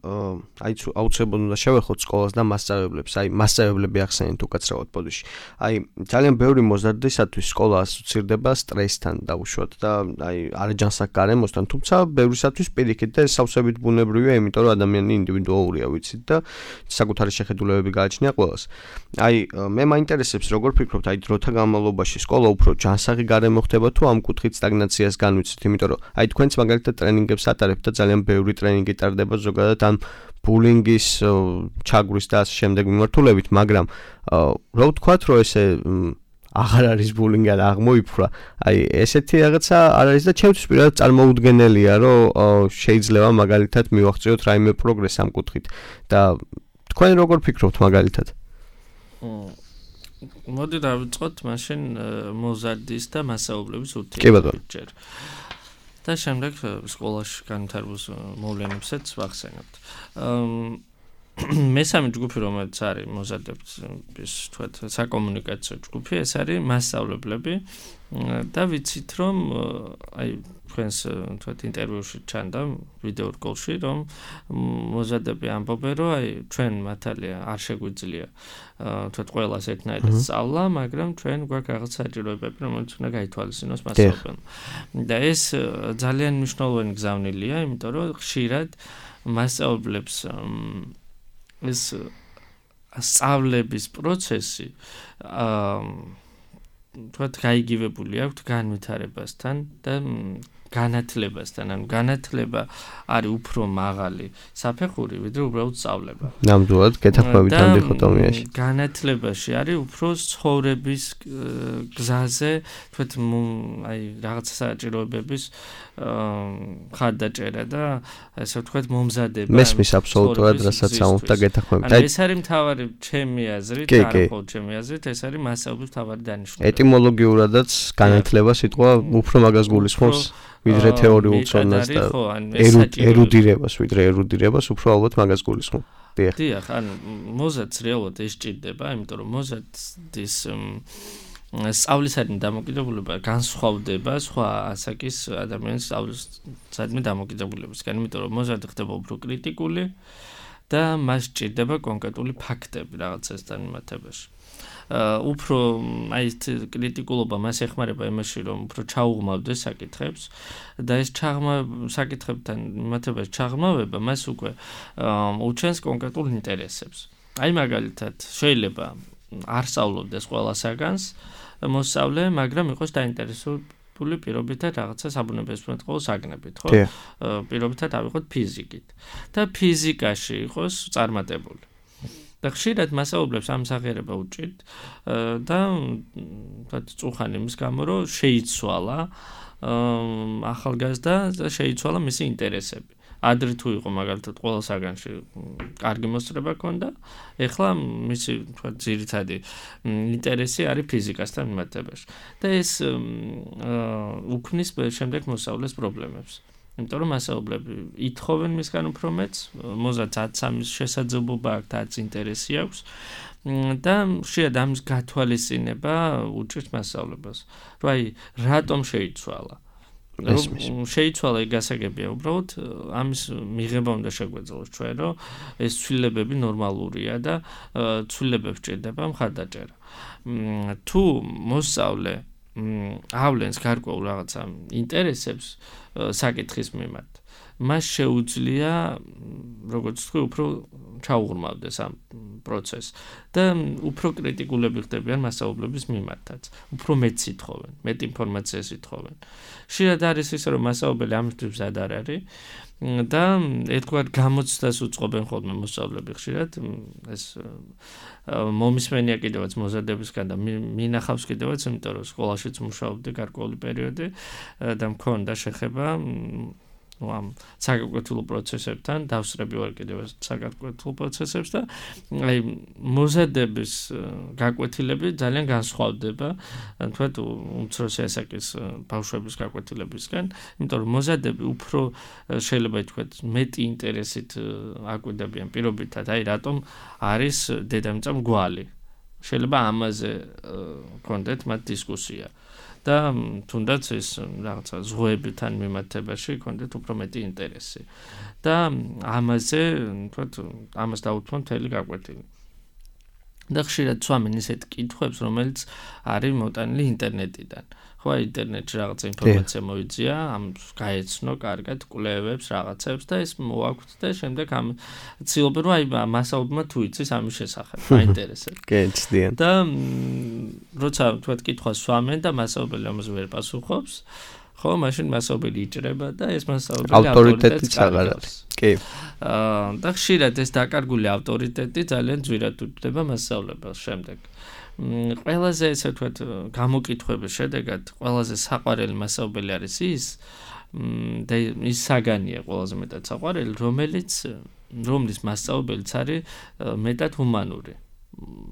აი აუცილებლად უნდა შევეხოთ სკოლას და მასწავლებლებს. აი მასწავლებლები ახსენეთ უკაცრავად პოდიში. აი ძალიან ბევრი მოზარდისათვის სკოლა ასოცირდება სტრესთან დაუშვათ და აი არაჯანსაღ გარემოსთან, თუმცა ბევრისათვის პირიქით და სავსებით ბუნებრივია, იმიტომ რომ ადამიანი ინდივიდუალურია, ვიცით და საკუთარი შეხედულებები გააჩნია ყველას. აი მე მაინტერესებს როგორ ფიქრობთ, აი დროთა განმავლობაში სკოლა უფრო ჯანსაღი გარემო ხდება თუ ამ კუთხით სტაგნაციას განვიცით, იმიტომ რომ აი თქვენც მაგალითად ტრენინგებს ატარებთ და ძალიან ბევრი ტრენინგი ტარდება ზოგადად ამ ბულინგის ჩაგვრის და ასე შემდეგ მიმართულებით, მაგრამ რა ვთქვათ, რომ ესე აღარ არის ბულინგი და აღმოიფრა. აი ესეთი რაღაცა არ არის და ჩემთვის პირადად წარმოუდგენელია, რომ შეიძლება მაგალითად მივახციოთ რაიმე პროგრესი ამ კუთხით და თქვენ როგორ ფიქრობთ მაგალითად? მოდი დავიწყოთ მაშინ მოზარდის და მასწავლებლების ურთიერთობისჯერ. და შემდეგ სკოლაში განვითარებულ მოვლენებსაც ვახსენებთ. მესამე ჯგუფი, რომელიც არის მოზარდების თქვათ საკომუნიკაციო ჯგუფი, ეს არის მასწავლებლები და ვიცით რომ აი თქვენს თქვათ ინტერვიუში ჩანდა ვიდეო რგოლში რომ მოზარდები ამბობენ რომ აი ჩვენ მართალია არ შეგვიძლია თქვათ ყველას ერთნაირად სწავლა, მაგრამ ჩვენ გვაქვს რაღაც საჭიროებები, რომელიც უნდა გაითვალისწინოს მასწავლებელმა. და ეს ძალიან მნიშვნელოვანი გზავნილია, იმიტომ რომ ხშირად მასწავლებლებს ეს სწავლების პროცესი აა თქვათ გაიგივებული აქვს განვითარებასთან და განათლებასთან, ანუ განათლება არის უფრო მაღალი საფეხური, ვიდრე უბრალოდ სწავლება. ნამდვილად გეთანხმებით ამ დიქოტომიაში. განათლებაში არის უფრო ცხოვრების გზაზე, თქვათ აი რაღაც საჭიროებების ხარდაჭერა და ასე ვთქვათ მომზადება. მესმის აბსოლუტურად რასაც ამბობთ და გეთანხმებით. აი ეს არის მთავარი ჩემი აზრით, არა მხოლოდ ჩემი აზრით, ეს არის მასწავლებლის მთავარი დანიშნულება. ეტიმოლოგიურადაც განათლება სიტყვა უფრო მაგას გულისხმობს. ვიდრე თეორიულ ცოდნას და ერუდირებას, ვიდრე ერუდირებას უფრო ალბათ მაგას გულისხმობს. დიახ. დიახ, ანუ მოზარდს რეალურად ეს ჭირდება, იმიტომ რომ მოზარდის სწავლისადმი დამოკიდებულება განსხვავდება სხვა ასაკის ადამიანის სწავლისადმი დამოკიდებულებისგან, იმიტომ რომ მოზარდი ხდება უფრო კრიტიკული და მას ჭირდება კონკრეტული ფაქტები რაღაცასთან მიმართებაში. უფრო აი ეს კრიტიკულობა მას ეხმარება იმაში, რომ უფრო ჩაუღმავდეს საკითხებს და ეს ჩაღმა საკითხებთან მიმართებაში ჩაღმავება მას უკვე უჩენს კონკრეტულ ინტერესებს. აი მაგალითად, შეიძლება არ სწავლობდეს ყველა საგანს მოსწავლე, მაგრამ იყოს დაინტერესებული პირობითად რაღაცა საბუნებისმეტყველო საგნებით, ხო? პირობითად ავიღოთ ფიზიკით. და ფიზიკაში იყოს წარმატებული. და ხშირად მასწავლებლებს ამ სახერება უჭირთ და თქვათ წუხანი იმის გამო, რომ შეიცვალა ახალგაზრდა და შეიცვალა მისი ინტერესები. ადრე თუ იყო მაგალითად ყველა საგანში კარგი მოსწრება ჰქონდა, ეხლა მისი თქვათ ძირითადი ინტერესი არის ფიზიკასთან მიმართებაში. და ეს უქმნის შემდეგ მოსწავლეს პრობლემებს. იმიტომ რომ მასწავლებლები ითხოვენ მისგან უფრო მეტს, მოზარდს ათს ამის შესაძლებლობა აქვს და ათს ინტერესი აქვს და შეიძლება ამის გათვალისწინება უჭირს მასწავლებლებს. რომ აი რატომ შეიცვალა? შეიცვალა ეგ გასაგებია, უბრალოდ ამის მიღება უნდა შეგვეძლოს ჩვენ, რომ ეს ცვლილებები ნორმალურია და ცვლილებებს ჭირდება მხარდაჭერა. თუ მოსწავლე ავლენს გარკვეულ რაღაცა ინტერესებს საკითხის მიმართ, მას შეუძლია, როგორც თქვი, უფრო ჩაუღრმავდეს ამ პროცესს და უფრო კრიტიკულები ხდებიან მასწავლებლების მიმართაც. უფრო მეტს ითხოვენ, მეტ ინფორმაციას ითხოვენ. ხშირად არის ისე, რომ მასწავლებელი ამისთვის მზად არ არის და ერთგვარ გამოცდას უწყობენ ხოლმე მოსწავლეები ხშირად. ეს მომისმენია კიდევაც მოზარდებისგან და მინახავს კიდევაც, იმიტომ რომ სკოლაშიც მუშაობდი გარკვეული პერიოდი და მქონდა შეხება ამ საგაკვეთილო პროცესებთან, დავსწრები ვარ კიდევაც საგაკვეთილო პროცესებს და აი მოზარდების გაკვეთილები ძალიან განსხვავდება, თქვათ უმცროსი ასაკის ბავშვების გაკვეთილებისგან, იმიტომ რომ მოზარდები უფრო შეიძლება ითქვათ მეტი ინტერესით აკვირდებიან პირობითად, აი რატომ არის დედამიწა მრგვალი. შეიძლება ამაზე გქონდეთ მათ დისკუსია. და თუნდაც ეს რაღაცა ზღვებთან მიმართებაში გქონდეთ უფრო მეტი ინტერესი. და ამაზე, თქვათ, ამას დაუთმო მთელი გაკვეთილი. და ხშირად სვამენ ისეთ კითხვებს, რომელიც არის მოტანილი ინტერნეტიდან. ხო, ინტერნეტში რაღაცა ინფორმაცია მოიძია, ამ გაეცნო კარგად კვლევებს, რაღაცებს და ეს მოაქვთ და შემდეგ ამ ცდილობენ, რომ აი მასწავლებელმა თუ იცის ამის შესახებ, აინტერესებს. კი, ცდიან. და როცა თქვათ კითხვას სვამენ და მასწავლებელი ამაზე ვერ პასუხობს, ხო, მაშინ მასწავლებელი იჭრება და ეს მასწავლებელი ავტორიტეტიც აღარ არის. კი. აა და ხშირად ეს დაკარგული ავტორიტეტი ძალიან ძვირად უჭდება მასწავლებელს შემდეგ. ყველაზე ესე ვთქვათ გამოკითხვების შედეგად ყველაზე საყვარელი მასწავლებელი არის ის და ის საგანია ყველაზე მეტად საყვარელი, რომელიც რომლის მასწავლებელიც არის მეტად ჰუმანური.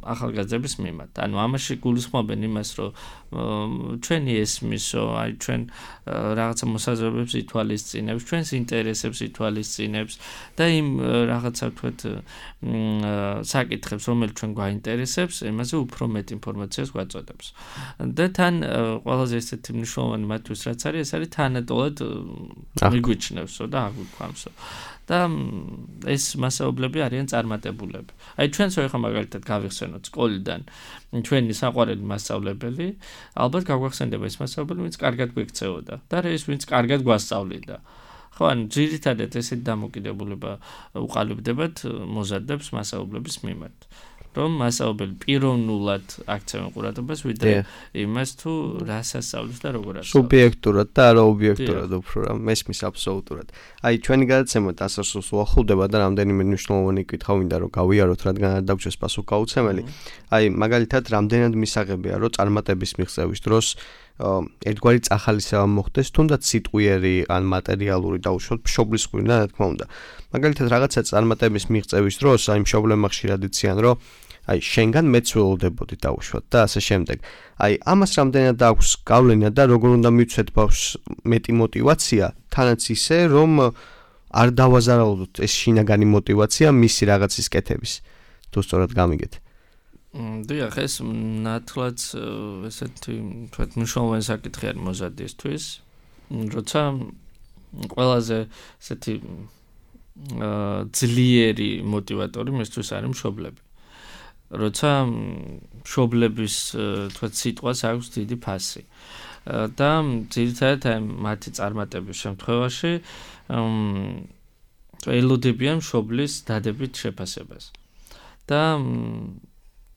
ახალგაზრდების მიმართ. ანუ ამაში გულისხმობენ იმას, რომ ჩვენი ესმისო, აი ჩვენ რაღაცა მოსაზრებებს ითვალისწინებს, ჩვენს ინტერესებს ითვალისწინებს და იმ რაღაცა თქვათ საკითხებს, რომელიც ჩვენ გვაინტერესებს, იმაზე უფრო მეტ ინფორმაციას გვაწოდებს. და თან ყველაზე ესეთი მნიშვნელოვანი მათთვის რაც არის, ეს არის თანატოლად მიგვიჩნევსო და აგვიქვამსო. და ეს მასაუბრები არიან წარმატებულები. აი ჩვენც ხო მაგალითად გავიხსენოთ სკოლიდან ჩვენი საყვარელი მასწავლებელი, ალბათ გაგვახსენდება ეს მასწავლებელი, ვინც კარგად გვიქცეოდა და ეს ვინც კარგად გვასწავლიდა. ხო, ან ძირითადად ესეთი დამოკიდებულება უყალიბდებათ მოზარდებს მასაუბრების მიმართ. რომ მასაუბრებელი პიროვნულად აქცევენ ყურადღებას, ვიდრე იმას თუ რას ასწავლის და როგორ ასწავლის. სუბიექტურად და არა ობიექტურად უფრო რა, მესმის აბსოლუტურად. აი ჩვენი გადაცემა დასასრულს უახლოვდება და რამდენიმე მნიშვნელოვანი კითხვა მინდა რომ გავიაროთ, რადგან არ დაგვრჩეს პასუხგაუცემელი. აი მაგალითად, რამდენად მისაღებია რომ წარმატების მიღწევის დროს ერთგვარი წახალისება მოხდეს, თუნდაც სიტყვიერი ან მატერიალური დაუშვათ მშობლის ღვინო, რა თქმა უნდა. მაგალითად, რაღაცა წარმატების მიღწევის დროს აი მშობლებმა ხშირად იციან, რომ აი შენგან მეც ველოდებოდი დაუშვათ და ასე შემდეგ. აი ამას რამდენად აქვს გავლენა და როგორ უნდა მივცეთ ბავშვს მეტი мотиваცია, თანაც ისე რომ არ დავაზარალოთ ეს შინაგანი мотиваცია მისი რაღაცის კეთების. თუ სწორად გამიგეთ. დიახ, ეს ნათლად ესეთი თქვათ მნიშვნელოვანი საკითხი არის მოზარდისთვის, როცა ყველაზე ესეთი ძლიერი мотиваტორი მისთვის არის მშობლები. როცა მშობლების თქვათ სიტყვას აქვს დიდი ფასი. და ძირითადად აი მათი წარმატების შემთხვევაში ელოდებიან მშობლის დადებით შეფასებას. და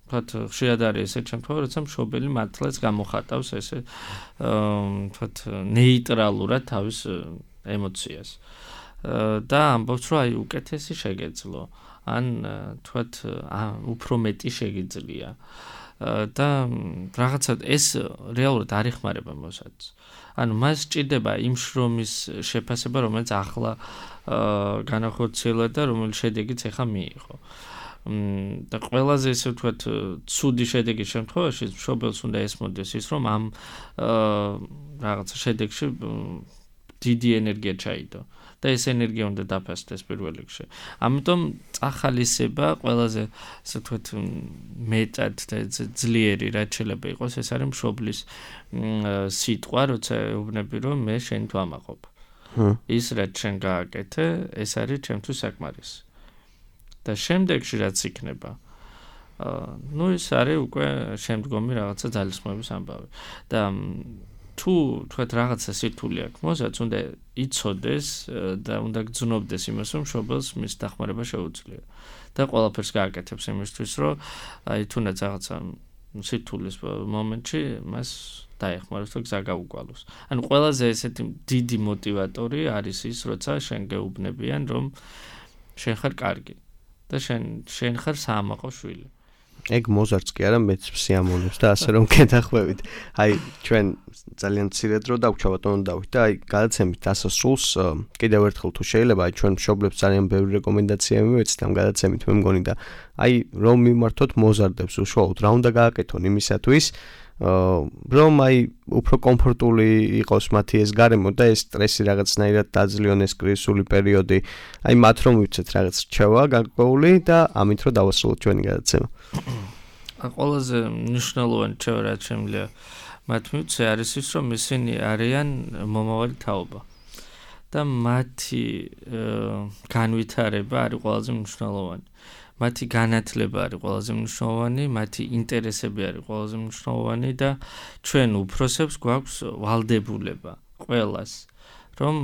თქვათ ხშირად არის ესეთი შემთხვევა, როცა მშობელი მართლაც გამოხატავს ესე თქვათ ნეიტრალურად თავის ემოციას. და ამბობს, რომ აი უკეთესი შეგეძლო, ან თქვათ უფრო მეტი შეგიძლია. და რაღაცა ეს რეალურად არ ეხმარება მოსადს. ანუ მას სჭირდება იმ შრომის შეფასება, რომელიც ახლა განახორციელა და რომელიც შედეგიც ეხა მიიღო. და ყველაზე ესე ვთქვათ ცუდი შედეგის შემთხვევაში მშობელს უნდა ესმოდეს ის, რომ ამ რაღაცა შედეგში დიდი ენერგია ჩაიდო და ეს ენერგია უნდა დაფასდეს პირველ რიგში. ამიტომ წახალისება ყველაზე ასე ვთქვათ მეტად და ძლიერი რაც შეიძლება იყოს, ეს არის მშობლის სიტყვა, როცა ეუბნები, რომ მე შენ თვამაყობ. ის რაც შენ გააკეთე, ეს არის ჩემთვის საკმარისი. და შემდეგში რაც იქნება, ну ის არის უკვე შემდგომი რაღაცა ძალისხმების ამბავი. და თუ თქვათ რაღაცა სირთულე აქვს, მოსაც უნდა იცოდეს და უნდა გძნობდეს იმას, რომ მშობელს მის დახმარება შეუძლია. და ყველაფერს გააკეთებს იმისთვის, რომ აი თუნდაც რაღაცა სირთულის მომენტში მას დაეხმაროს და გზა გაუგვალოს. ანუ ყველაზე ესეთი დიდი мотиваტორი არის ის, როცა შენ გეუბნებიან, რომ შენ ხარ კარგი. და შენ შენ ხარ საამაყო შვილი. ეგ მოზარდს კი არა, მეც სიამოვნებს და ასე რომ გეთახვევით. აი ჩვენ ძალიან მცირე დრო დაგვჭა ბატონო დავით და აი გადაცემით დასასრულს კიდევ ერთხელ თუ შეიძლება აი ჩვენ მშობლებს ძალიან ბევრი რეკომენდაცია მივეცით ამ გადაცემით მე მგონი და აი რომ მიმართოთ მოზარდებს უშუალოდ რა უნდა გააკეთონ იმისათვის რომ აი უფრო კომფორტული იყოს მათი ეს გარემო და ეს სტრესი რაღაცნაირად დაძლიონ ეს კრიზისული პერიოდი. აი მათ რომ ვიცეთ რაღაც რჩევა გარკვეული და ამით რომ დავასრულოთ ჩვენი გადაცემა. ყველაზე მნიშვნელოვანი რჩევა რაც შემიძლია მათ მივცე არის ის, რომ ისინი არიან მომავალი თაობა. და მათი განვითარება არის ყველაზე მნიშვნელოვანი. მათი განათლება არის ყველაზე მნიშვნელოვანი, მათი ინტერესები არის ყველაზე მნიშვნელოვანი და ჩვენ უფროსებს გვაქვს ვალდებულება ყველას, რომ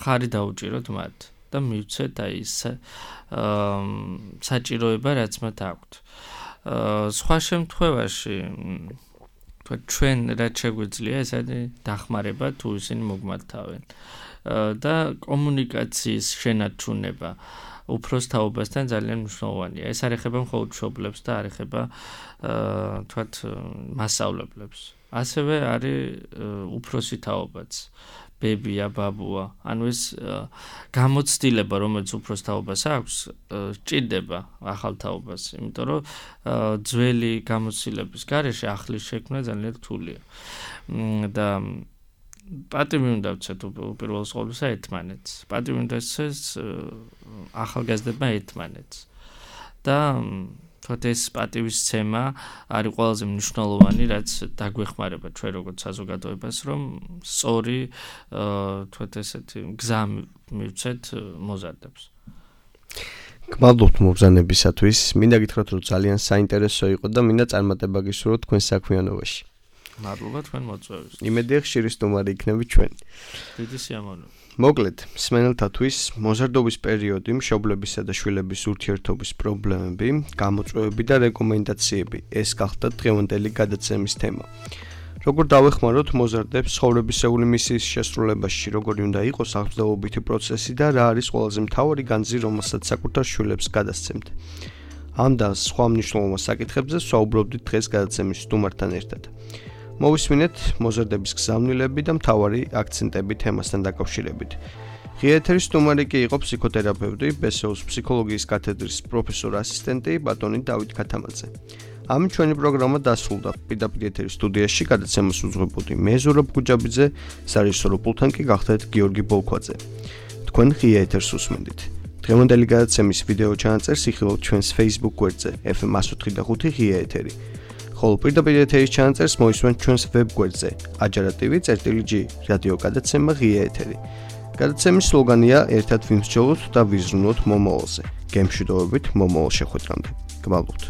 ხარი დაუჭიროთ მათ და მივცეთ აი ეს საჭიროება, რაც მათ აქვთ. სხვა შემთხვევაში თქვა ჩვენ რაც შეგვიძლია, ეს არის დახმარება თუ ისინი მოგმართავენ და კომუნიკაციის შენარჩუნება უფროს თაობასთან ძალიან მნიშვნელოვანია. ეს არ ეხება მხოლოდ მშობლებს და არ ეხება თქვათ მასწავლებლებს. ასევე არის უფროსი თაობაც. ბებია, ბაბუა, ანუ ეს გამოცდილება, რომელიც უფროს თაობას აქვს, ჭირდება ახალ თაობას, იმიტომ რომ ძველი გამოცდილების გარეშე ახლის შექმნა ძალიან რთულია. და პატივი უნდა ვცეთ უპირველეს ყოვლისა ერთმანეთს. პატივი უნდა ვცეთ ახალგაზრდებმა ერთმანეთს. და თქო ეს პატივისცემა არის ყველაზე მნიშვნელოვანი, რაც დაგვეხმარება ჩვენ როგორც საზოგადოებას, რომ სწორი თქო ესეთი გზა მივცეთ მოზარდებს. გმადლობთ მობრძანებისათვის. მინდა გითხრათ, რომ ძალიან საინტერესო იყო და მინდა წარმატება გისურვოთ თქვენ საქმიანობაში. მადლობა თქვენ მოწვევისთვის. იმედია ხშირი სტუმარი იქნები ჩვენ. დიდი სიამოვნებაა. მოკლედ, მსმენელთათვის მოზარდობის პერიოდი, მშობლებისა და შვილების ურთიერთობის პრობლემები, გამოწვევები და რეკომენდაციები. ეს გახდა დღევანდელი გადაცემის თემა. როგორ დავეხმაროთ მოზარდებს ცხოვრებისეული მისიის შესრულებაში, როგორი უნდა იყოს აღზრდოვობითი პროცესი და რა არის ყველაზე მთავარი განძი, რომელსაც საკუთარ შვილებს გადასცემთ. ამ და სხვა მნიშვნელოვან საკითხებზე ვსაუბრობდით დღეს გადაცემის სტუმართან ერთად. მოვისმინეთ მოზარდების გზავნილები და მთავარი აქცენტები თემასთან დაკავშირებით. ღია ეთერის სტუმარი კი იყო ფსიქოთერაპევტი, ბე ეს ოს ფსიქოლოგიის კათედრის პროფესორ ასისტენტი ბატონი დავით ქათამაძე. ამით ჩვენი პროგრამა დასრულდა. პირდაპირ ეთერის სტუდიაში გადაცემას უძღვებოდი მე ზურაბ გუჯაბიძე, სარეჟისორო პულტთან კი გახდეთ გიორგი ბოლქვაძე. თქვენ ღია ეთერს უსმენდით. დღევანდელი გადაცემის ვიდეო ჩანაწერს იხილავთ ჩვენს Facebook გვერდზე ეფ ემ one oh five ღია ეთერი. ხოლო პირდაპირ ეთერის ჩანაწერს მოისმენთ ჩვენს ვებ გვერდზე ajarativi წერტილი ჯი რადიო გადაცემა ღია ეთერი. გადაცემის სლოგანია ერთად ვიმსჯელოთ და ვიზრუნოთ მომავალზე. გემშვიდობებით მომავალ შეხვედრამდე. გმადლობთ.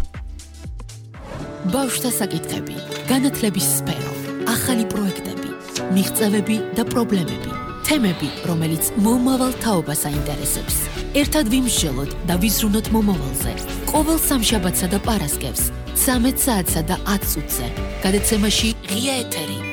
ბავშვთა საკითხები, განათლების სფერო, ახალი პროექტები, მიღწევები და პრობლემები, თემები, რომელიც მომავალ თაობას აინტერესებს. ერთად ვიმსჯელოთ და ვიზრუნოთ მომავალზე. ყოველ სამშაბათსა და პარასკევს, ცამეტ საათსა და ათ წუთზე. გადაცემაში ღია ეთერი.